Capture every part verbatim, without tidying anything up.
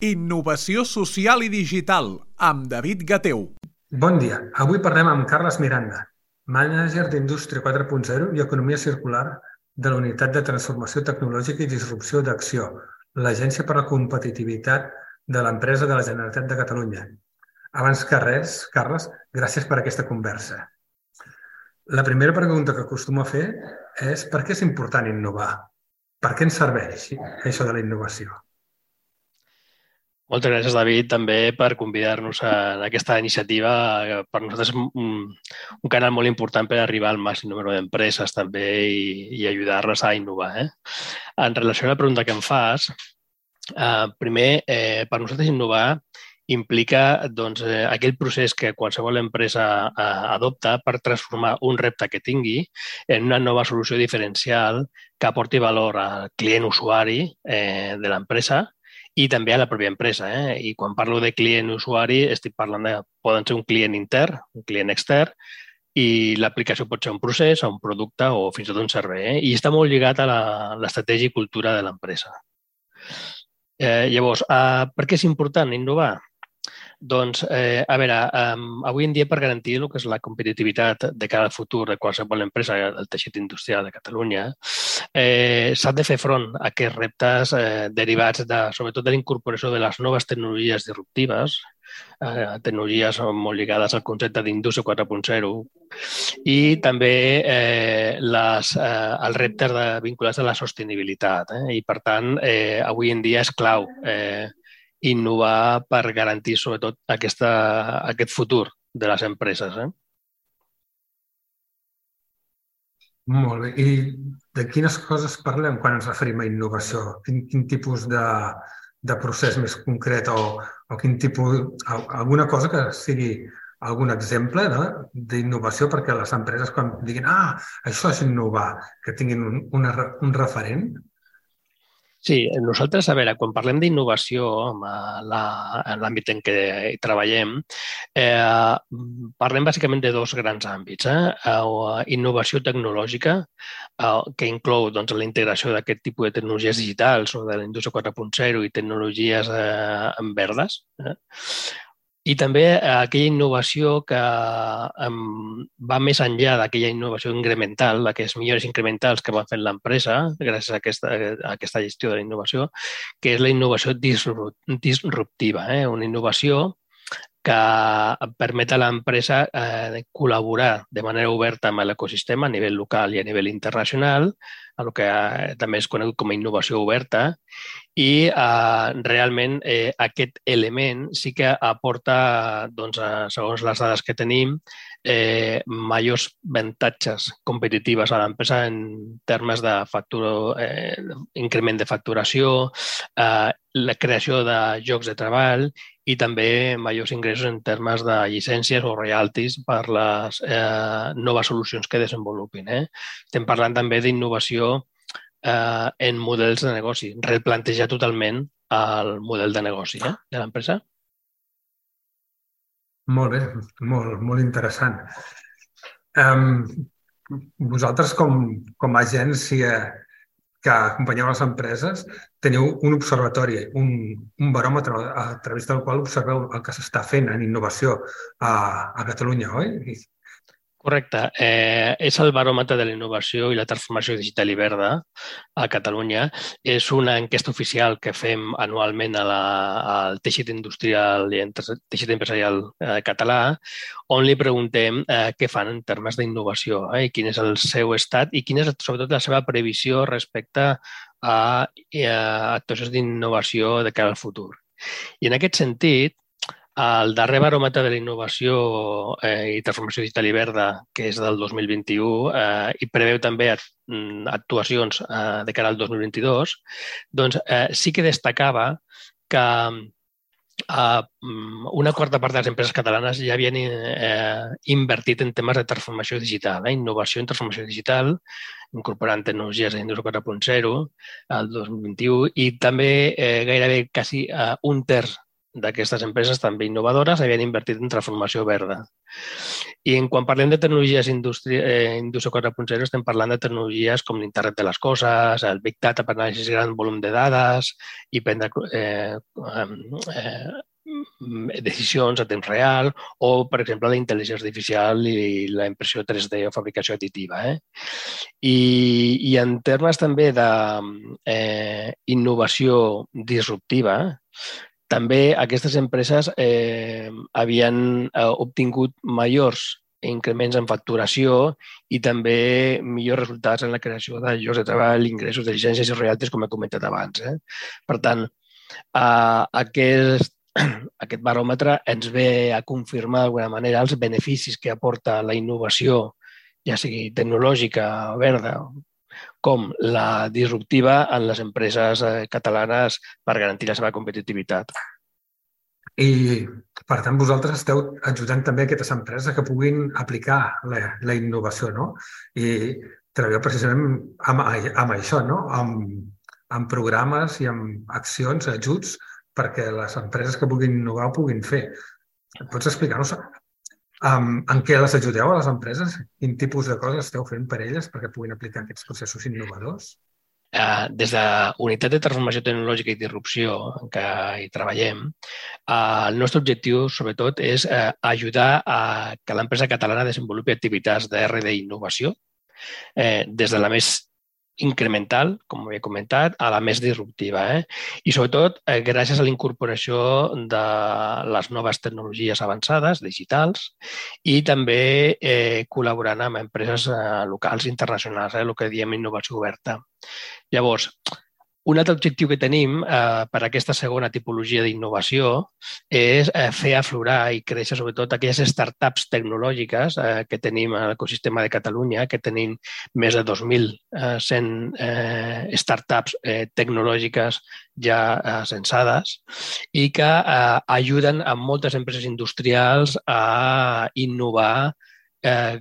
Innovació social i digital, amb David Gateu. Bon dia. Avui parlem amb Carles Miranda, mànager d'Indústria quatre punt zero i Economia Circular de la Unitat de Transformació Tecnològica i Disrupció d'Acció, l'Agència per a la Competitivitat de l'Empresa de la Generalitat de Catalunya. Abans que res, Carles, gràcies per aquesta conversa. La primera pregunta que acostumo a fer és per què és important innovar? Per què ens serveix això de la innovació? Moltes gràcies, David, també per convidar-nos a aquesta iniciativa. Per nosaltres és un, un canal molt important per arribar al màxim número d'empreses també i, i ajudar-les a innovar. Eh? En relació a la pregunta que em fas, eh, primer, eh, per nosaltres innovar implica doncs, eh, aquell procés que qualsevol empresa eh, adopta per transformar un repte que tingui en una nova solució diferencial que aporti valor al client usuari eh, de l'empresa i també a la pròpia empresa. Eh? I quan parlo de client usuari, estic parlant de, poden ser un client intern, un client extern, i l'aplicació pot ser un procés, un producte o fins i tot un servei. Eh? I està molt lligat a l'estratègia i cultura de l'empresa. Eh, llavors, eh, per què és important innovar? Doncs, eh, a veure, um, avui en dia per garantir el que és la competitivitat de cara al futur de qualsevol empresa del teixit industrial de Catalunya, eh, s'ha de fer front a aquests reptes eh, derivats de, sobretot de la incorporació de les noves tecnologies disruptives, eh, tecnologies molt lligades al concepte d'indústria quatre punt zero i també eh, les, eh, els reptes de, vinculats a la sostenibilitat. Eh? I, per tant, eh, avui en dia és clau eh, innovar per garantir, sobretot, aquesta, aquest futur de les empreses. Eh? Molt bé. I de quines coses parlem quan ens referim a innovació? Quin, quin tipus de, de procés més concret o, o quin tipus, alguna cosa que sigui algun exemple d'innovació perquè les empreses quan diguin ah, això és innovar, que tinguin un, una, un referent? Sí, nosaltres, a veure, quan parlem d'innovació en l'àmbit en què hi treballem, eh, parlem bàsicament de dos grans àmbits. Eh? Innovació tecnològica, eh, que inclou doncs, la integració d'aquest tipus de tecnologies digitals o de la indústria quatre punt zero i tecnologies eh, verdes. Eh? I també aquella innovació que um, va més enllà d'aquella innovació incremental, d'aquelles millores incrementals que va fent l'empresa gràcies a aquesta, a aquesta gestió de la innovació, que és la innovació disruptiva, eh? Una innovació que permet a l'empresa eh, col·laborar de manera oberta amb l'ecosistema a nivell local i a nivell internacional, el que eh, també és conegut com a innovació oberta, i eh, realment eh, aquest element sí que aporta, doncs, eh, segons les dades que tenim, eh, majors avantatges competitives a l'empresa en termes de factura, eh, increment de facturació, eh, la creació de llocs de treball i també majors ingressos en termes de llicències o royalties per les eh, noves solucions que desenvolupin. Eh? Estem parlant també d'innovació eh, en models de negoci, replantejar totalment el model de negoci eh, de l'empresa. Molt bé, molt, molt interessant. Um, vosaltres, com, com a agència que acompanyeu les empreses, teniu un observatori, un, un baròmetre a través del qual observeu el que s'està fent en innovació a, a Catalunya, oi? Correcte. Eh, és el baròmetre de la innovació i la transformació digital i verda a Catalunya. És una enquesta oficial que fem anualment a la, al teixit industrial i teixit empresarial eh, català, on li preguntem eh, què fan en termes d'innovació eh, i quin és el seu estat i quina és sobretot la seva previsió respecte a, a actuacions d'innovació de cara al futur. I en aquest sentit, el darrer baròmetre de la innovació eh, i transformació digital i verda, que és del dos mil vint-i-u, eh, i preveu també actuacions eh, de cara al dos mil vint-i-dos, doncs eh, sí que destacava que eh, una quarta part de les empreses catalanes ja havien eh, invertit en temes de transformació digital, eh, innovació en transformació digital, incorporant tecnologies de l'indústria quatre punt zero al dos mil vint-i-u i també eh, gairebé quasi eh, un terç d'aquestes empreses també innovadores havien invertit en transformació verda. I en quan parlem de tecnologies indústria, eh, indústria quatre punt zero estem parlant de tecnologies com l'internet de les coses, el Big Data per anàlisi de gran volum de dades i prendre eh, eh, decisions a temps real o, per exemple, la intel·ligència artificial i la impressió tres D o fabricació additiva. Eh? I, I en termes també d'innovació eh, disruptiva, també aquestes empreses eh, havien eh, obtingut majors increments en facturació i també millors resultats en la creació de llocs de treball, ingressos de llicències i royalties, com he comentat abans. Eh? Per tant, eh, aquest, aquest baròmetre ens ve a confirmar d'alguna manera els beneficis que aporta la innovació, ja sigui tecnològica o verda, com la disruptiva en les empreses catalanes per garantir la seva competitivitat. I, per tant, vosaltres esteu ajudant també aquestes empreses que puguin aplicar la, la innovació, no? I treballeu precisament amb, amb això, no? Amb, amb programes i amb accions, ajuts, perquè les empreses que puguin innovar ho puguin fer. Pots explicar-nos Um, en què les ajudeu a les empreses? Quin tipus de coses esteu fent per elles perquè puguin aplicar aquests processos innovadors? Uh, des de la Unitat de Transformació Tecnològica i Disrupció en què hi treballem, uh, el nostre objectiu, sobretot, és uh, ajudar a que l'empresa catalana desenvolupi activitats de R and D i innovació, eh, des de la més incremental, com havia comentat, a la més disruptiva. Eh? I, sobretot, eh, gràcies a la incorporació de les noves tecnologies avançades, digitals, i també eh, col·laborant amb empreses eh, locals i internacionals, eh, el que diem innovació oberta. Llavors, un altre objectiu que tenim eh, per a aquesta segona tipologia d'innovació és eh, fer aflorar i créixer sobretot aquelles startups tecnològiques eh, que tenim a l'ecosistema de Catalunya, que tenim més de dos mil cent eh, startups eh, tecnològiques ja eh, censades i que eh, ajuden a moltes empreses industrials a innovar eh,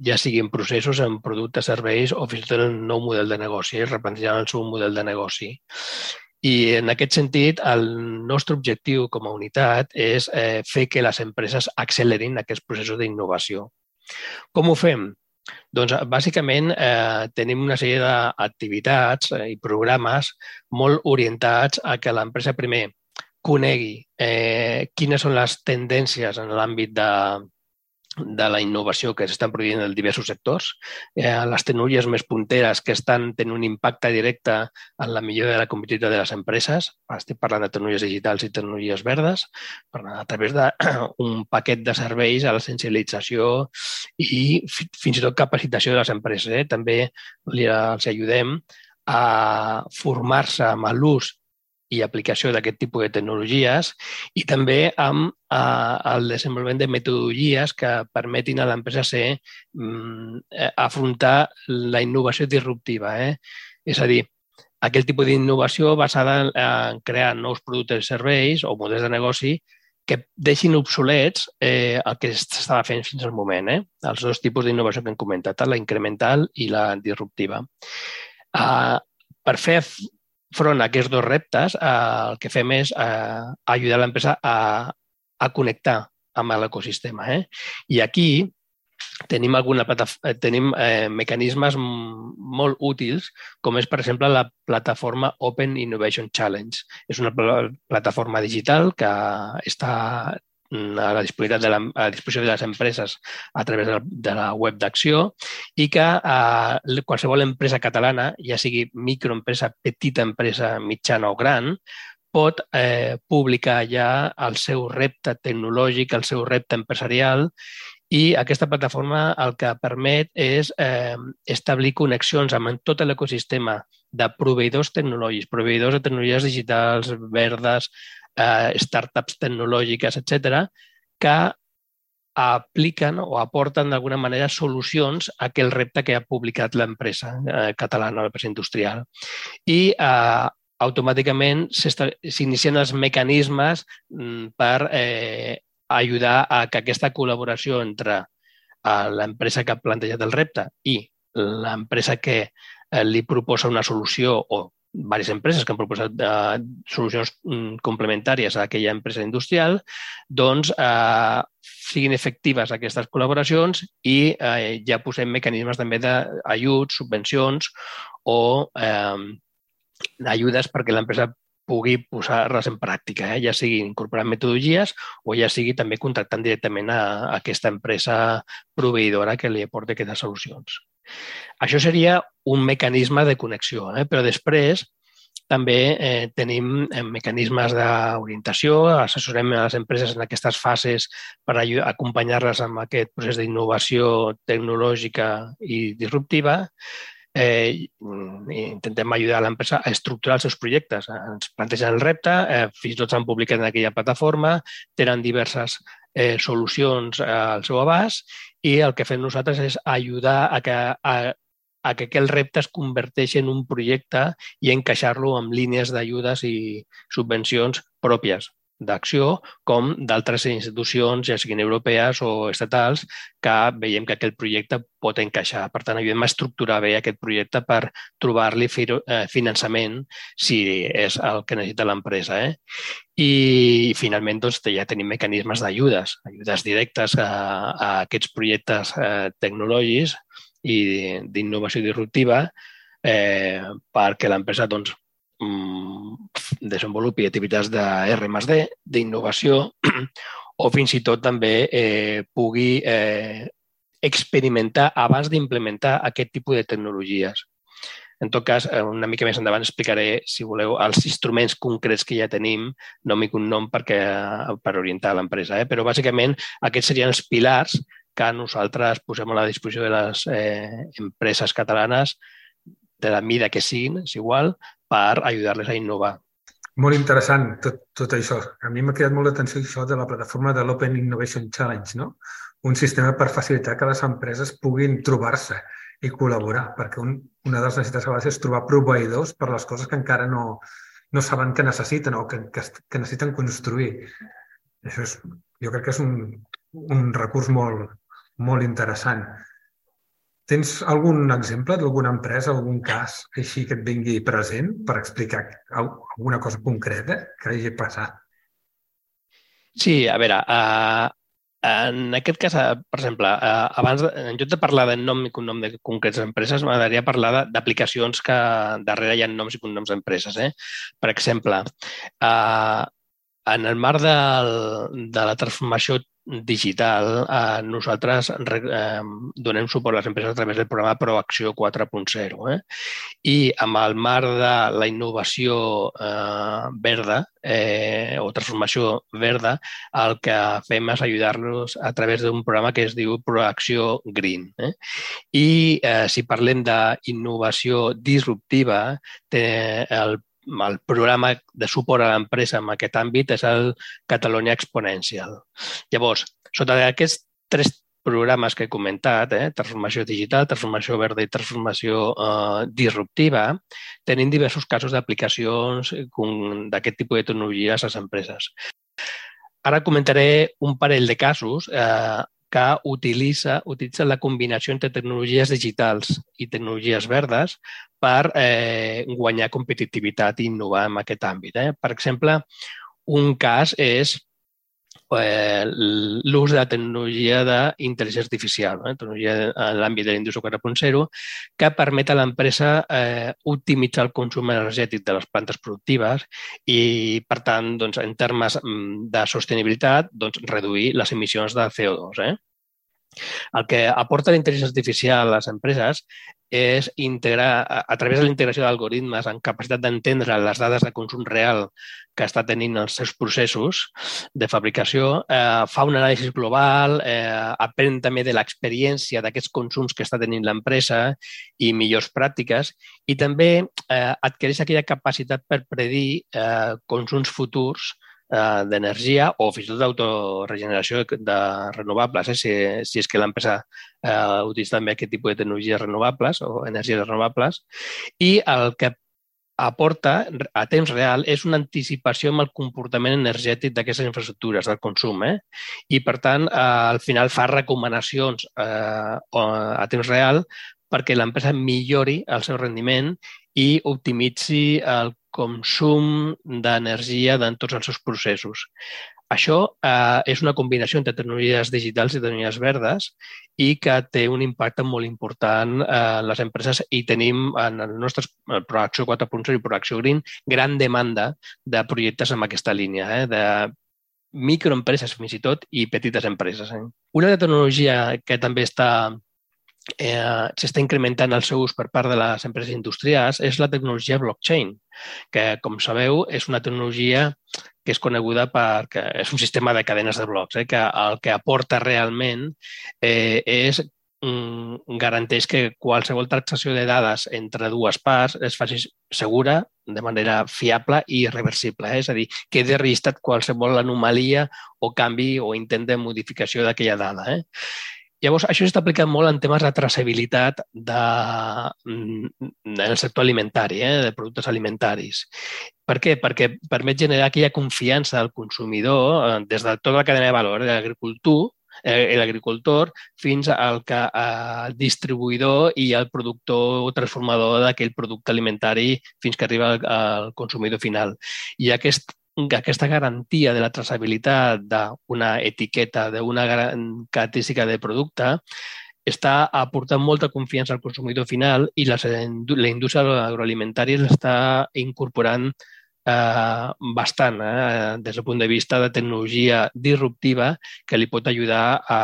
ja sigui en processos, en productes, serveis o fins i tot en nou model de negoci, replantejant el seu model de negoci. I en aquest sentit, el nostre objectiu com a unitat és eh, fer que les empreses accelerin aquests processos d'innovació. Com ho fem? Doncs, bàsicament, eh, tenim una sèrie d'activitats eh, i programes molt orientats a que l'empresa primer conegui eh, quines són les tendències en l'àmbit de de la innovació que s'estan produint en diversos sectors, eh, les tecnologies més punteres que estan tenint un impacte directe en la millora de la competitivitat de les empreses. Estic parlant de tecnologies digitals i tecnologies verdes, a través d'un paquet de serveis a la sensibilització i fins i tot capacitació de les empreses. Eh? També els ajudem a formar-se amb l'ús i aplicació d'aquest tipus de tecnologies i també amb eh, el desenvolupament de metodologies que permetin a l'empresa ser, eh, afrontar la innovació disruptiva. Eh? És a dir, aquell tipus d'innovació basada en, en crear nous productes i serveis o models de negoci que deixin obsolets eh, el que s'estava fent fins al moment. Eh? Els dos tipus d'innovació que hem comentat, la incremental i la disruptiva. Eh, per fer front a aquests dos reptes, eh, el que fem és eh, ajudar l'empresa a, a connectar amb l'ecosistema. Eh? I aquí tenim, alguna tenim eh, mecanismes molt útils, com és, per exemple, la plataforma Open Innovation Challenge. És una plataforma digital que està a la disponibilitat de la, a la disposició de les empreses a través de la, de la web d'Acció i que eh, qualsevol empresa catalana, ja sigui microempresa, petita empresa, mitjana o gran, pot eh, publicar ja el seu repte tecnològic, el seu repte empresarial i aquesta plataforma el que permet és eh, establir connexions amb tot l'ecosistema de proveïdors tecnològics, proveïdors de tecnologies digitals, verdes, Eh, startups tecnològiques, etcètera, que apliquen o aporten d'alguna manera solucions a aquell repte que ha publicat l'empresa eh, catalana, l'empresa industrial. I eh, automàticament s'inicien els mecanismes per eh, ajudar a que aquesta col·laboració entre eh, l'empresa que ha plantejat el repte i l'empresa que eh, li proposa una solució o diverses empreses que han proposat eh, solucions complementàries a aquella empresa industrial, doncs eh, siguin efectives aquestes col·laboracions i eh, ja posem mecanismes també d'ajuts, subvencions o eh, ajudes perquè l'empresa pugui posar-les en pràctica, eh? Ja sigui incorporant metodologies o ja sigui també contractant directament a, a aquesta empresa proveïdora que li aporti aquestes solucions. Això seria un mecanisme de connexió, eh? Però després també eh, tenim eh, mecanismes d'orientació, assessorem a les empreses en aquestes fases per acompanyar-les amb aquest procés d'innovació tecnològica i disruptiva. Eh, intentem ajudar l'empresa a estructurar els seus projectes. Ens plantegen el repte, eh, fins i tot s'han publicat en aquella plataforma, tenen diverses eh, solucions al seu abast i el que fem nosaltres és ajudar a que, a, a que aquell repte es converteixi en un projecte i encaixar-lo amb línies d'ajudes i subvencions pròpies d'acció com d'altres institucions, ja siguin europees o estatals, que veiem que aquest projecte pot encaixar. Per tant, ajudem a estructurar bé aquest projecte per trobar-li finançament si és el que necessita l'empresa. Eh? I, finalment, doncs, ja tenim mecanismes d'ajudes, ajudes directes a, a aquests projectes eh, tecnològics i d'innovació disruptiva eh, perquè l'empresa doncs, desenvolupi activitats de erre més de, d'innovació o fins i tot també eh, pugui eh, experimentar abans d'implementar aquest tipus de tecnologies. En tot cas, una mica més endavant explicaré, si voleu, els instruments concrets que ja tenim, nom i cognom perquè, per orientar l'empresa. Eh? Però, bàsicament, aquests serien els pilars que nosaltres posem a la disposició de les eh, empreses catalanes, de la mida que siguin, és igual, per ajudar-les a innovar. Molt interessant tot, tot això. A mi m'ha cridat molt l'atenció això de la plataforma de l'Open Innovation Challenge, no? Un sistema per facilitar que les empreses puguin trobar-se i col·laborar, perquè un, una de les necessitats a vegades és trobar proveïdors per les coses que encara no, no saben que necessiten o que, que, que necessiten construir. Això és, jo crec que és un, un recurs molt, molt interessant. Tens algun exemple d'alguna empresa, algun cas així que et vingui present per explicar alguna cosa concreta que hagi passat? Sí, a veure, uh, en aquest cas, per exemple, uh, abans, en lloc de parlar de nom i cognom de concretes empreses, m'agradaria parlar d'aplicacions que darrere hi ha noms i cognoms d'empreses. Eh? Per exemple, uh, en el marc de, de la transformació digital, eh, nosaltres eh, donem suport a les empreses a través del programa Proacció quatre punt zero. Eh? I amb el marc de la innovació eh, verda eh, o transformació verda, el que fem és ajudar-los a través d'un programa que es diu Proacció Green. Eh? I eh, si parlem d'innovació disruptiva, té el el programa de suport a l'empresa en aquest àmbit és el Catalonia Exponential. Llavors, sota aquests tres programes que he comentat, eh, transformació digital, transformació verda i transformació eh, disruptiva, tenim diversos casos d'aplicacions d'aquest tipus de tecnologies a les empreses. Ara comentaré un parell de casos eh, que utilitza, utilitza la combinació entre tecnologies digitals i tecnologies verdes per eh, guanyar competitivitat i innovar en aquest àmbit. Eh? Per exemple, un cas és eh, l'ús de la tecnologia d'intel·ligència artificial, eh? tecnologia en l'àmbit de la indústria quatre punt zero, que permet a l'empresa eh, optimitzar el consum energètic de les plantes productives i, per tant, doncs, en termes de sostenibilitat, doncs, reduir les emissions de C O dos. Eh? El que aporta la intel·ligència artificial a les empreses és integrar, a través de la integració d'algoritmes amb capacitat d'entendre les dades de consum real que està tenint els seus processos de fabricació, eh, fa un anàlisi global, eh, aprèn també de l'experiència d'aquests consums que està tenint l'empresa i millors pràctiques i també eh, adquireix aquella capacitat per predir eh, consums futurs d'energia o fins i tot d'autoregeneració de renovables, eh? si, si és que l'empresa eh, utilitza també aquest tipus de tecnologies renovables o energies renovables. I el que aporta a temps real és una anticipació amb el comportament energètic d'aquestes infraestructures, del consum. Eh? I, per tant, eh, al final fa recomanacions eh, a temps real perquè l'empresa millori el seu rendiment i optimitzi el consum d'energia en tots els seus processos. Això eh, és una combinació entre tecnologies digitals i tecnologies verdes i que té un impacte molt important en les empreses i tenim en el nostre Proacció quatre punt zero i Proacció Green gran demanda de projectes en aquesta línia, eh, de microempreses fins i tot i petites empreses. Eh. Una tecnologia que també està Eh, s'està incrementant el seu ús per part de les empreses industrials és la tecnologia blockchain, que, com sabeu, és una tecnologia que és coneguda perquè és un sistema de cadenes de blocs, eh, que el que aporta realment eh, és mm, garanteix que qualsevol transacció de dades entre dues parts es faci segura, de manera fiable i irreversible. Eh? És a dir, quedi registrat qualsevol anomalia o canvi o intent de modificació d'aquella dada. Eh? Llavors, això s'està aplicant molt en temes de traçabilitat de, del sector alimentari, eh, de productes alimentaris. Per què? Perquè permet generar aquella confiança del consumidor eh, des de tota la cadena de valor, de l'agricultor, eh, l'agricultor fins al que, eh, distribuïdor i el productor o transformador d'aquell producte alimentari fins que arriba al, al consumidor final. I aquest aquesta garantia de la traçabilitat d'una etiqueta, d'una característica de producte, està aportant molta confiança al consumidor final i la, la indústria agroalimentària l'està incorporant eh, bastant eh, des del punt de vista de tecnologia disruptiva que li pot ajudar a,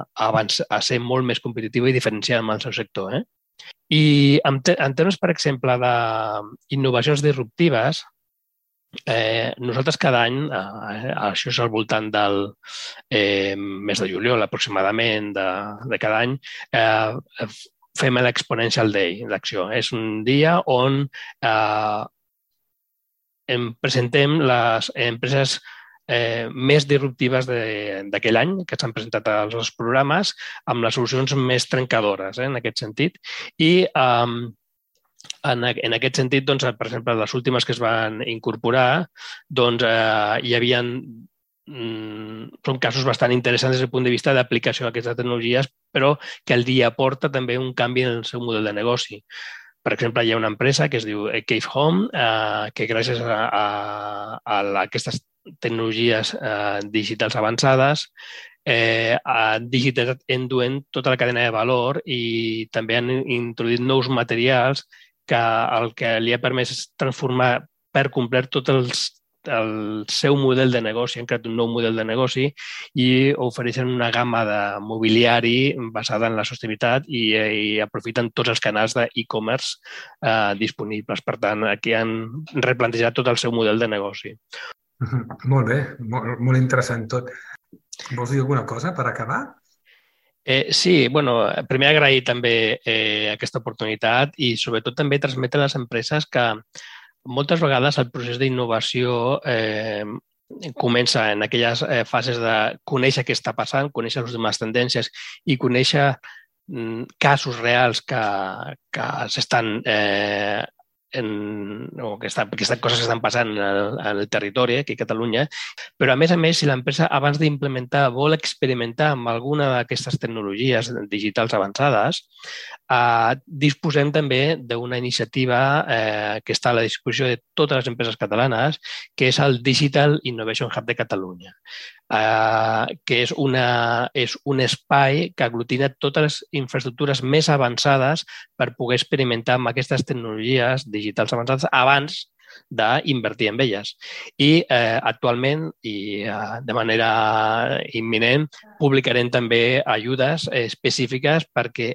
a, avançar, a ser molt més competitiva i diferenciada en el seu sector. Eh? I en, te en termes, per exemple, d'innovacions disruptives, Eh, nosaltres cada any, eh, això és al voltant del eh, mes de juliol aproximadament de, de cada any, eh, fem l'Exponential Day d'acció. És un dia on eh, em presentem les empreses eh, més disruptives d'aquell any que s'han presentat als nostres programes amb les solucions més trencadores, eh, en aquest sentit. I eh, En, en aquest sentit, doncs, per exemple, les últimes que es van incorporar, doncs, eh, hi havia mm, són casos bastant interessants des del punt de vista d'aplicació d'aquestes tecnologies, però que el dia aporta també un canvi en el seu model de negoci. Per exemple, hi ha una empresa que es diu Cave Home, eh, que gràcies a, a, a aquestes tecnologies eh, digitals avançades eh, han digitalitzat end-to-end tota la cadena de valor i també han introduït nous materials que el que li ha permès és transformar per complet tot els, el seu model de negoci, han creat un nou model de negoci i ofereixen una gamma de mobiliari basada en la sostenibilitat i, i aprofiten tots els canals d'e-commerce eh, disponibles. Per tant, aquí han replantejat tot el seu model de negoci. Molt bé, molt, molt interessant tot. Vols dir alguna cosa per acabar? Eh, sí, bueno, primer agrair també eh, aquesta oportunitat i sobretot també transmetre a les empreses que moltes vegades el procés d'innovació eh, comença en aquelles eh, fases de conèixer què està passant, conèixer les últimes tendències i conèixer mm, casos reals que, que s'estan eh, en, o que, està, que estan coses que estan passant en el, en el territori, aquí a Catalunya, però a més a més, si l'empresa abans d'implementar vol experimentar amb alguna d'aquestes tecnologies digitals avançades, eh, disposem també d'una iniciativa eh, que està a la disposició de totes les empreses catalanes, que és el Digital Innovation Hub de Catalunya. Uh, que és, una, és un espai que aglutina totes les infraestructures més avançades per poder experimentar amb aquestes tecnologies digitals avançades abans d'invertir en elles. I eh, actualment, i eh, de manera imminent, publicarem també ajudes específiques perquè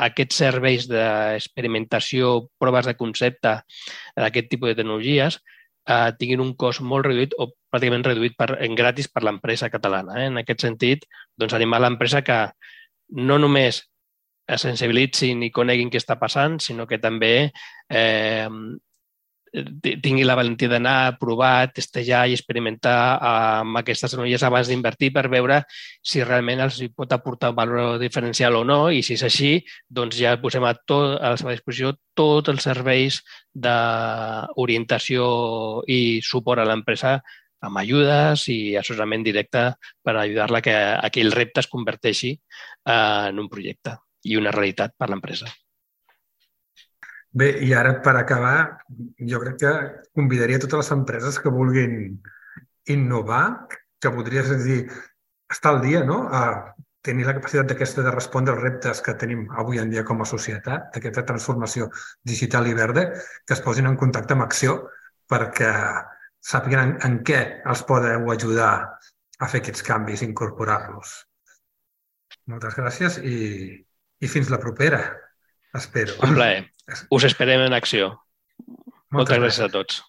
aquests serveis d'experimentació, proves de concepte d'aquest tipus de tecnologies eh, tinguin un cost molt reduït o pràcticament reduït per, en gratis per l'empresa catalana. Eh? En aquest sentit, doncs, animar l'empresa que no només es sensibilitzin i coneguin què està passant, sinó que també eh, tingui la valentia d'anar a provar, testejar i experimentar amb aquestes tecnologies abans d'invertir per veure si realment els pot aportar un valor diferencial o no i si és així, doncs ja posem a, tot, a la seva disposició tots els serveis d'orientació i suport a l'empresa amb ajudes i assessorament directe per ajudar-la a que aquell repte es converteixi en un projecte i una realitat per l'empresa. Bé, i ara per acabar, jo crec que convidaria totes les empreses que vulguin innovar, que podries dir, estar al dia, no? A tenir la capacitat d'aquesta de respondre als reptes que tenim avui en dia com a societat, d'aquesta transformació digital i verda, que es posin en contacte amb Acció perquè sàpiguen en, en què els podeu ajudar a fer aquests canvis, incorporar-los. Moltes gràcies i, i fins la propera, espero. Un plaer. Us esperem en Acció. Moltes Moltes gràcies a tots.